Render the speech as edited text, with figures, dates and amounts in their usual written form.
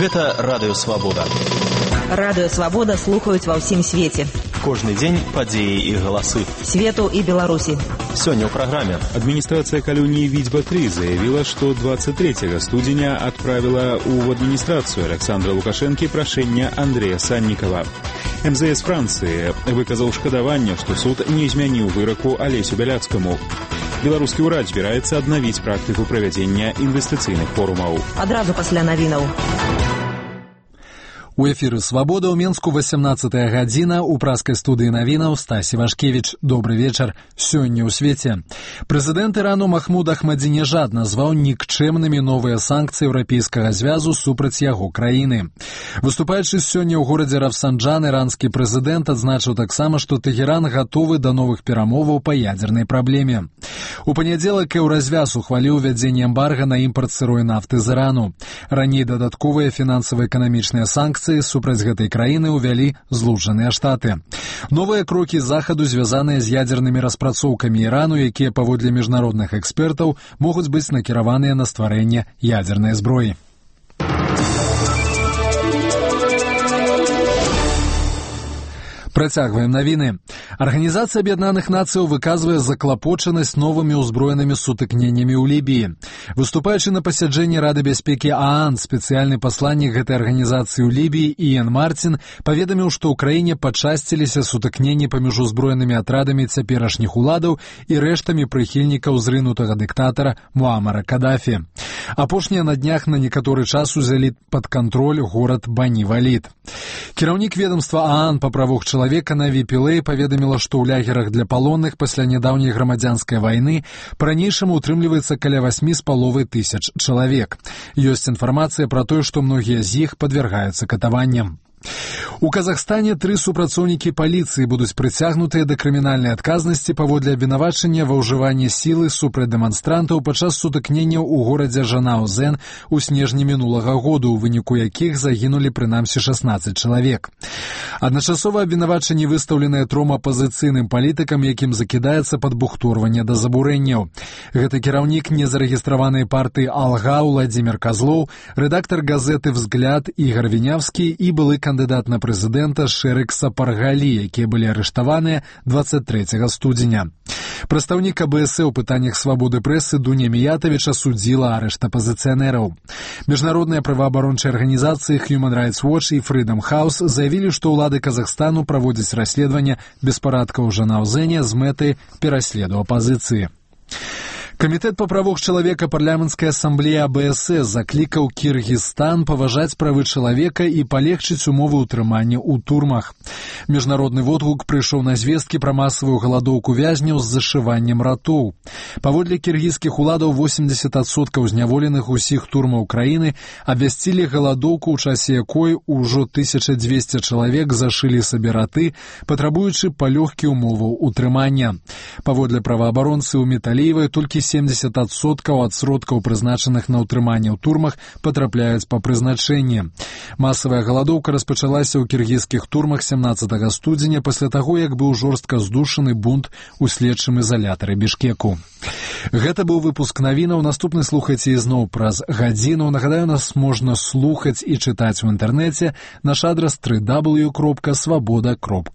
Гэта Радыё Свабода. Радыё Свабода слухаюць ва ўсім свеце. Кожны дзень падзеі і галасы свету і Беларусі. Сёння ў праграме. Адміністрацыя калоніі Відзьба-3 заявіла, што 23 студзеня адправіла ў адміністрацыю Александра Лукашэнкі прашэнне Андрэя Саннікава. МЗС Францыі выказаў шкадаванне, што суд не змяніў выраку Алесю Бяляцкаму. Беларускі ўрад збіраецца аднавіць практыку правядзення інвестыцыйных форумаў. Адразу пасля навінаў. У эфіры «Свабода» ў Менску 18-я гадзіна, у праскай студыі навінаў Стасі Вашкевіч. Добры вечар. Сёння ў свеце. Прэзідэнт Ірану Махмуд Ахмадзінежад назваў нікчэмнымі новыя санкцыі Еўрапейскага звязу супраць яго краіны. Выступаючы сёння ў горадзе Рафсанджан, іранскі прэзідэнт адзначыў таксама, што Тэгеран гатовы да новых перамоваў па ядзернай праблеме. У панядзелак Еўразвяз ухваліў увядзенне эмбарга на імпарт сырой нафты з Ірану. Раней дадатковыя фінансава-эканамічныя санкцыі супраць гэтай краіны ўвялі Злучаныя Штаты. Новыя крокі захаду звязаныя з ядзернымі распрацоўкамі Ірану, якія, паводле міжнародных экспертаў, могуць быць накіраваныя на стварэнне ядзернай зброі. Працягваем навіны. Арганізацыя Аб'яднаных Нацыяў выказвае заклапочанасць новымі ўзброенымі сутыкненнямі ў Лібіі. Выступаючы на пасяджэнні Рады бяспекі ААН, спецыяльны пасланнік гэтай арганізацыі ў Лібіі Іен Мартін паведаміў, што ў краіне пачасціліся сутыкненні паміж узброенымі атрадамі цяперашніх уладаў і рэштамі прыхільнікаў зрынутага дыктатара Муамара Кадафі. Апошнія на днях на некаторы час узялі пад кантроль горад Бані-Валід. Кіраўнік ведомства ААН па правах чалавека Наві Пілэй паведаміла, што ў лягерах для палонных пасля нядаўняй грамадзянскай вайны па-ранейшаму утрымліваецца каля 8,5 тысяч чалавек. Ёсць інфармацыя пра тое, што многія з іх падвяргаюцца катаванням. У Казахстане 3 супрацоўнікі паліцыі будуць прыцягнутыя да крымінальнай адказнасці паводле абвінавачання ва ўжыванні сілы супраць дэманстрантаў падчас сутыкненняў у горадзе Жанаузен у снежні мінулага году, у выніку якіх загінулі прынамсі 16 чалавек. Адначасова абвінавачанні выстаўленыя 3 апазіцыйным палітыкам, якім закідаецца падбухторванне да забурэнняў. Гэта кіраўнік незарэгістраванай партыі «Алга» Владзімір Казлоў, рэдактар газеты «Взгляд» Ігар Вінявскі і былы кандыдат на прэзідэнта Шэрык Сапаргалі, якія былі арыштаваныя 23 студзеня. Прадстаўнік АБС у пытаннях свабоды прэсы Дуня Міятавіч асудзіла арышт апазіцыянераў. Міжнародныя праваабарончыя арганізацыі Human Rights Watch і Freedom House заявілі, што ўлады Казахстану праводзяць расследаванне беспарадкаў у Жанаузене з мэтай пераследу апазіцыі. Камітэт па правах чалавека парламенцкай асамблеі АБС заклікаў Кіргізстан паважаць правы чалавека і палегчыць умовы ўтрымання ў турмах. Міжнародны водгук прыйшоў на звесткі пра масавую галадоўку вязняў з зашываннем ратоў. Паводле кіргізскіх уладаў 80% зняволеных усіх турмаў краіны абвясцілі галадоўку, у часе якой ужо 1200 чалавек зашылі сабе раты, патрабуючы палёгкі умоваў утрымання. Паводле праваабаронцы ў Металіевай толькі 70% ад сродкаў, прызначаных на ўтрыманне ў турмах, патрапляюць па прызначэнні. Масавая галадоўка распачалася ў кіргізскіх турмах 17 студзеня пасля таго, як быў жорстка здушаны бунт у следчым изолятары Бішкеку. Гэта быў выпуск навінаў. Наступны слухайце ізноў праз гадзіну. Нагадаю, нас можна слухаць і чытаць у інтэрнэце. Наш адрас www.swaboda.org.